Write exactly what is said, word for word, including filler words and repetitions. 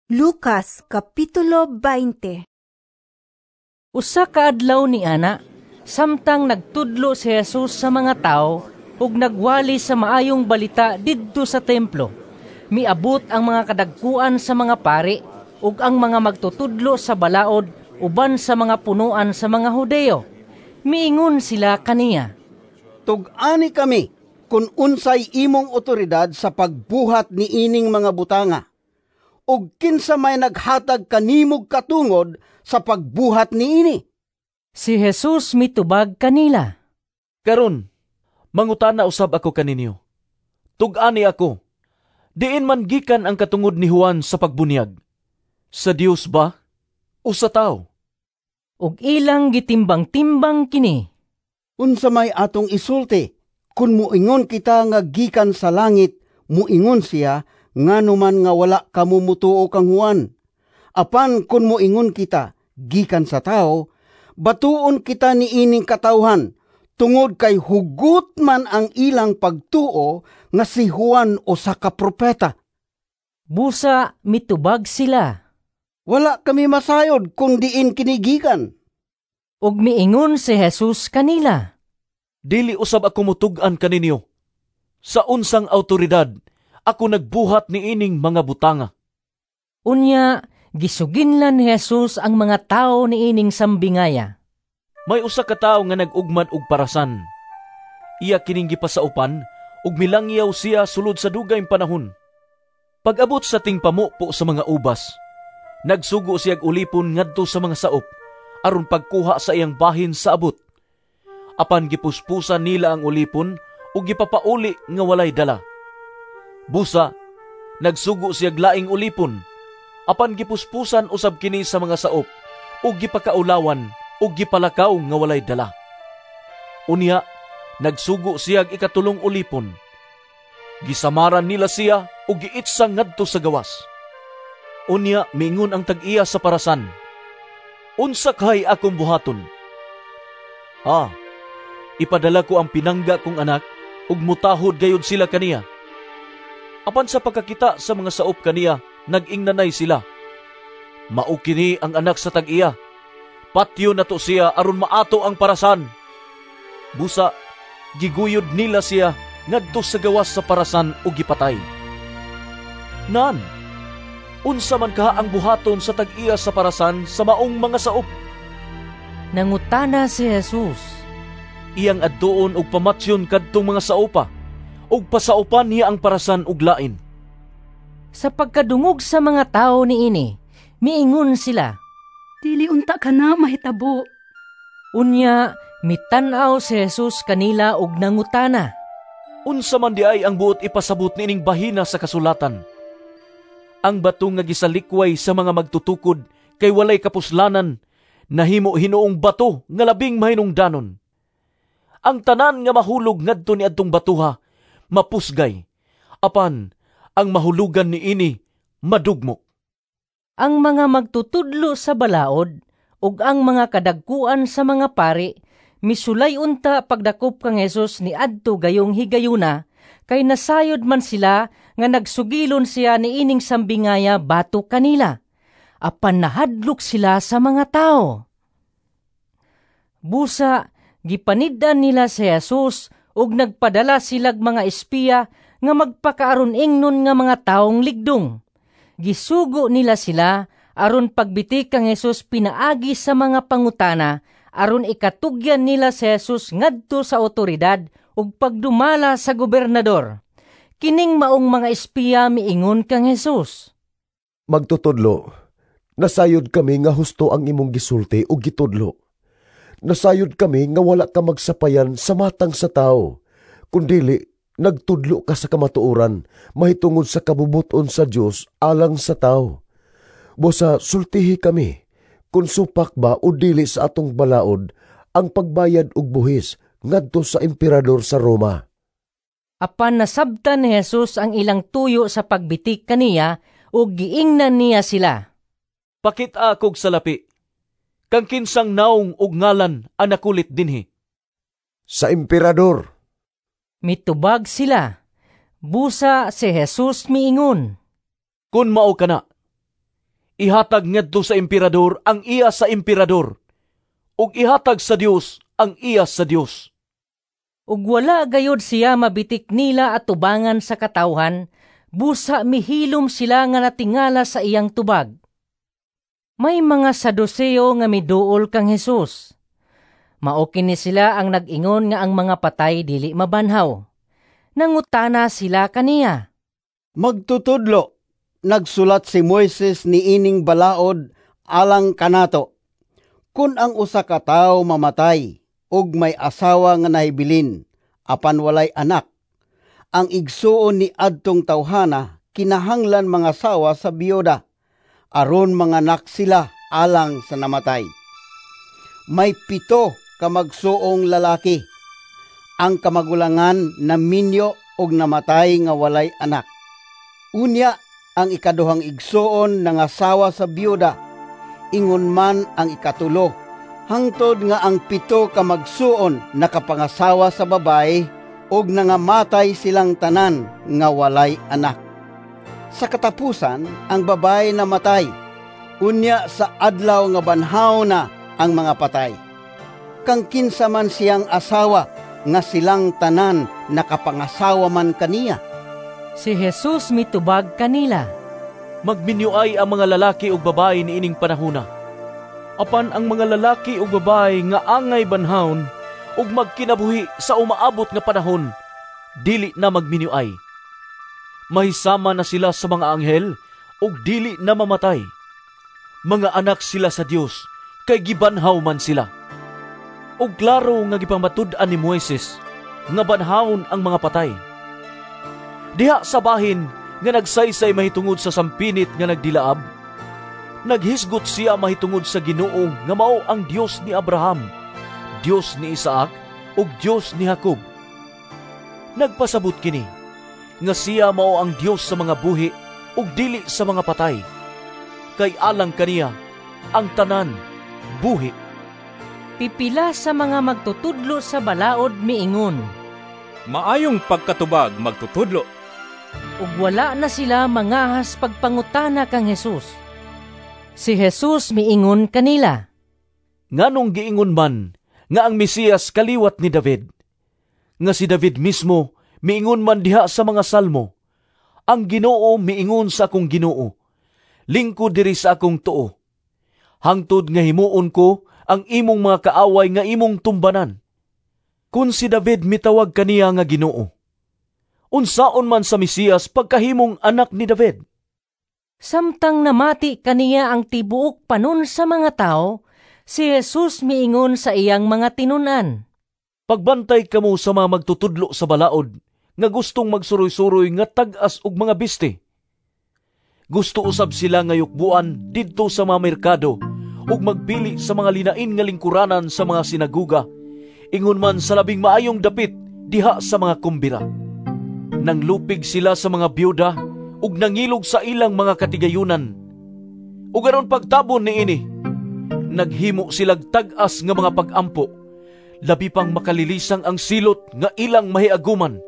Lucas Kapitulo beinte. Usa ka adlaw ni ana, samtang nagtudlo si Jesus sa mga tawo ug nagwali sa maayong balita didto sa templo, miabot ang mga kadagkuan sa mga pari ug ang mga magtutudlo sa balaod uban sa mga punoan sa mga Hudeo. Miingon sila kaniya, "Tug-ani kami kung unsay imong otoridad sa pagbuhat niining mga butanga, ug kinsa may naghatag kanimog katungod sa pagbuhat niini?" Si Jesus mitubag kanila, "Karon, mangutana usab ako kaninyo. Tug-ani ako, diin man gikan ang katungod ni Juan sa pagbunyag? Sa Dios ba o sa tawo?" Ug ilang gitimbang-timbang kini. "Unsa may atong isulti? Kun moingon kita nga gikan sa langit, muingon siya, 'Ngano man nga wala kamo motuo kang Juan?' Apan kun moingon kita, 'Gikan sa tawo,' batuon kita niining katawhan, tungod kay hugot man ang ilang pagtuo nga si Juan usa ka propeta." Busa mitubag sila, "Wala kami masayod kung diin kini gikan." Ug miingon si Jesus kanila, "Dili usab ako mutug-an kaninyo sa unsang awtoridad ako nagbuhat niining mga butanga." Unya gisuginlan ni Jesus ang mga tawo niining sambingaya. "May usa ka tawo nga nag-ugmad og parasan. Iya kining gipasaupan ug milangyaw siya sulod sa dugay panahon. Pag-abot sa tingpamupo sa mga ubas, nagsugo siyag ulipon ngadto sa mga saop aron pagkuha sa iyang bahin sa abot. Apan gipuspusan nila ang ulipon ug gipapauli nga walay dala. Busa, nagsugo siyag laing ulipon, apan gipuspusan usab kini sa mga saop ug gipakaulawan ug gipalakaw nga walay dala. Unya, nagsugo siyag ikatulong ulipon. Gisamaran nila siya ug giitsa ngadto sa gawas. Unya, miingon ang tag-iya sa parasan, 'Unsa kay akong buhaton? Ah, ipadala ko ang pinangga kong anak ug mutahod gayud sila kaniya.' Apan sa pagkakita sa mga saop kaniya, nag-ingnanay sila, 'Mao kini ang anak sa tag-iya. Patyon nato siya aron maato ang parasan.' Busa, giguyod nila siya ngadto sa gawas sa parasan ug gipatay. Nan, unsa man kaha ang buhaton sa tag-iya sa parasan sa maong mga saop?" Nangutana si Jesus, "Iyang adtuon og pamatyon kadtong mga saopa ug pasaupan niya ang parasan og lain." Sa pagkadungog sa mga tawo niini, miingon sila, "Dili unta kana mahitabo." Unya, mitan-aw si Jesus kanila ug nangutana, "Unsa man diay ang buot ipasabot niining bahina sa kasulatan? 'Ang bato nga gisalikway sa mga magtutukod kay walay kapuslanan, nahimo hinuong bato nga labing mahinungdanon. Ang tanan nga mahulog ngadto niadtong batuha mapusgay, apan ang mahulugan niini madugmok." Ang mga magtutudlo sa balaod ug ang mga kadagkuan sa mga pari misulay unta pagdakop kang Jesus niadto gayong higayuna, kay nasayod man sila nga nagsugilon siya niining sambingaya batok kanila. Apan nahadlok sila sa mga tao. Busa gipanid-an nila si Jesus ug nagpadala silag mga espiya nga magpakaaron ingnon nga mga taong ligdong. Gisugo nila sila aron pagbiti kang Jesus pinaagi sa mga pangutana aron ikatugyan nila si Jesus ngadto sa otoridad ug pagdumala sa gobernador. Kining maong mga espiya miingon kang Jesus, "Magtutudlo, nasayod kami nga husto ang imong gisulti ug gitudlo. Nasayod kami nga wala ka magsapayan sa matang sa tao, kundili nagtudlo ka sa kamatuoran mahitungod sa kabubuton sa Dios alang sa tao. Busa sultihi kami, kung supak ba o dili sa atong balaod ang pagbayad og buhis ngadto sa emperador sa Roma?" Apan nasabtan ni Jesus ang ilang tuyo sa pagbitik kaniya ug giingnan niya sila, "Pakit-a kog salapi. Kang kinsang naong ug ngalan ang nakulit dinhi?" "Sa emperador," mitubag sila. Busa si Jesus miingon, "Kun mao kana, Ihatag ngadto sa emperador ang iya sa emperador, ug ihatag sa Dios ang iya sa Dios." Ug wala gayod siya mabitik nila atubangan sa katawhan, busa mihilom sila nga natingala sa iyang tubag. May mga Saduseo nga miduol kang Hesus. Mao kini sila ang nag-ingon nga ang mga patay dili mabanhaw. Nangutana sila kaniya. "Magtutudlo, nagsulat si Moises niining balaod alang kanato: Kun ang usa ka tawo mamatay ug may asawa nga nahibilin apan walay anak, ang igsuon ni adtong tawhana kinahanglan mangasawa sa biyuda aron manganak sila alang sa namatay. May pito ka magsuong lalaki. Ang kamagulangan naminyo ug namatay nga walay anak. Unya ang ikaduhang igsuon nangasawa sa biyuda, ingon man ang ikatulo, hangtod nga ang pito ka magsuon nakapangasawa sa babaye ug nangamatay silang tanan nga walay anak. Sa katapusan, ang babaye namatay. Unya sa adlaw nga banhaw na ang mga patay, kang kinsa man siyang asawa nga silang tanan nakapangasawa man kaniya?" Si Jesus mitubag kanila. "Magminyoay ang mga lalaki ug babaye niining panahona. Apan ang mga lalaki ug babaye nga angay banhawon ug magkinabuhi sa umaabot nga panahon, dili na magminyoay. Mahisama na sila sa mga anghel ug dili na mamatay. Mga anak sila sa Dios kay gibanhaw man sila. Ug klaro nga gipamatud-an ni Moises nga banhawon ang mga patay. Diha sa bahin nga nagsaysay mahitungod sa sampinit nga nagdilaab, naghisgot siya mahitungod sa Ginoo nga mao ang Dios ni Abraham, Dios ni Isaac ug Dios ni Jacob. Nagpasabot kini nga siya mao ang Dios sa mga buhi ug dili sa mga patay. Kay alang kaniya ang tanan buhi." Pipila sa mga magtutudlo sa balaod miingon, "Maayong pagkatubag, magtutudlo." Ug wala na sila mangahas pagpangutana kang Hesus. Si Jesus miingon kanila, "Nganong giingon man nga ang Mesiyas kaliwat ni David? Nga si David mismo miingon man diha sa mga salmo, 'Ang Ginoo miingon sa akong Ginoo, Lingkod diri sa akong tuo, hangtod nga himuon ko ang imong mga kaaway nga imong tumbanan.' Kun si David mitawag kaniya nga Ginoo, unsaon man sa Mesiyas pagkahimong anak ni David?" Samtang namati kaniya ang tibuok panon sa mga tao, si Jesus miingon sa iyang mga tinun-an, "Pagbantay kamo sa mga magtutudlo sa balaod nga gustong magsuroy-suroy nga tag-as og mga biste. Gusto usab sila nga yukbuan didto sa mga merkado ug magpili sa mga linain nga lingkuranan sa mga sinaguga, ingon man sa labing maayong dapit diha sa mga kumbira. Nanglupig sila sa mga biyuda ug nangilog sa ilang mga katigayunan. Ug aron pagtabon niini, naghimo silag tag-as nga mga pag-ampo, labi pang makalilisang ang silot nga ilang mahiaguman.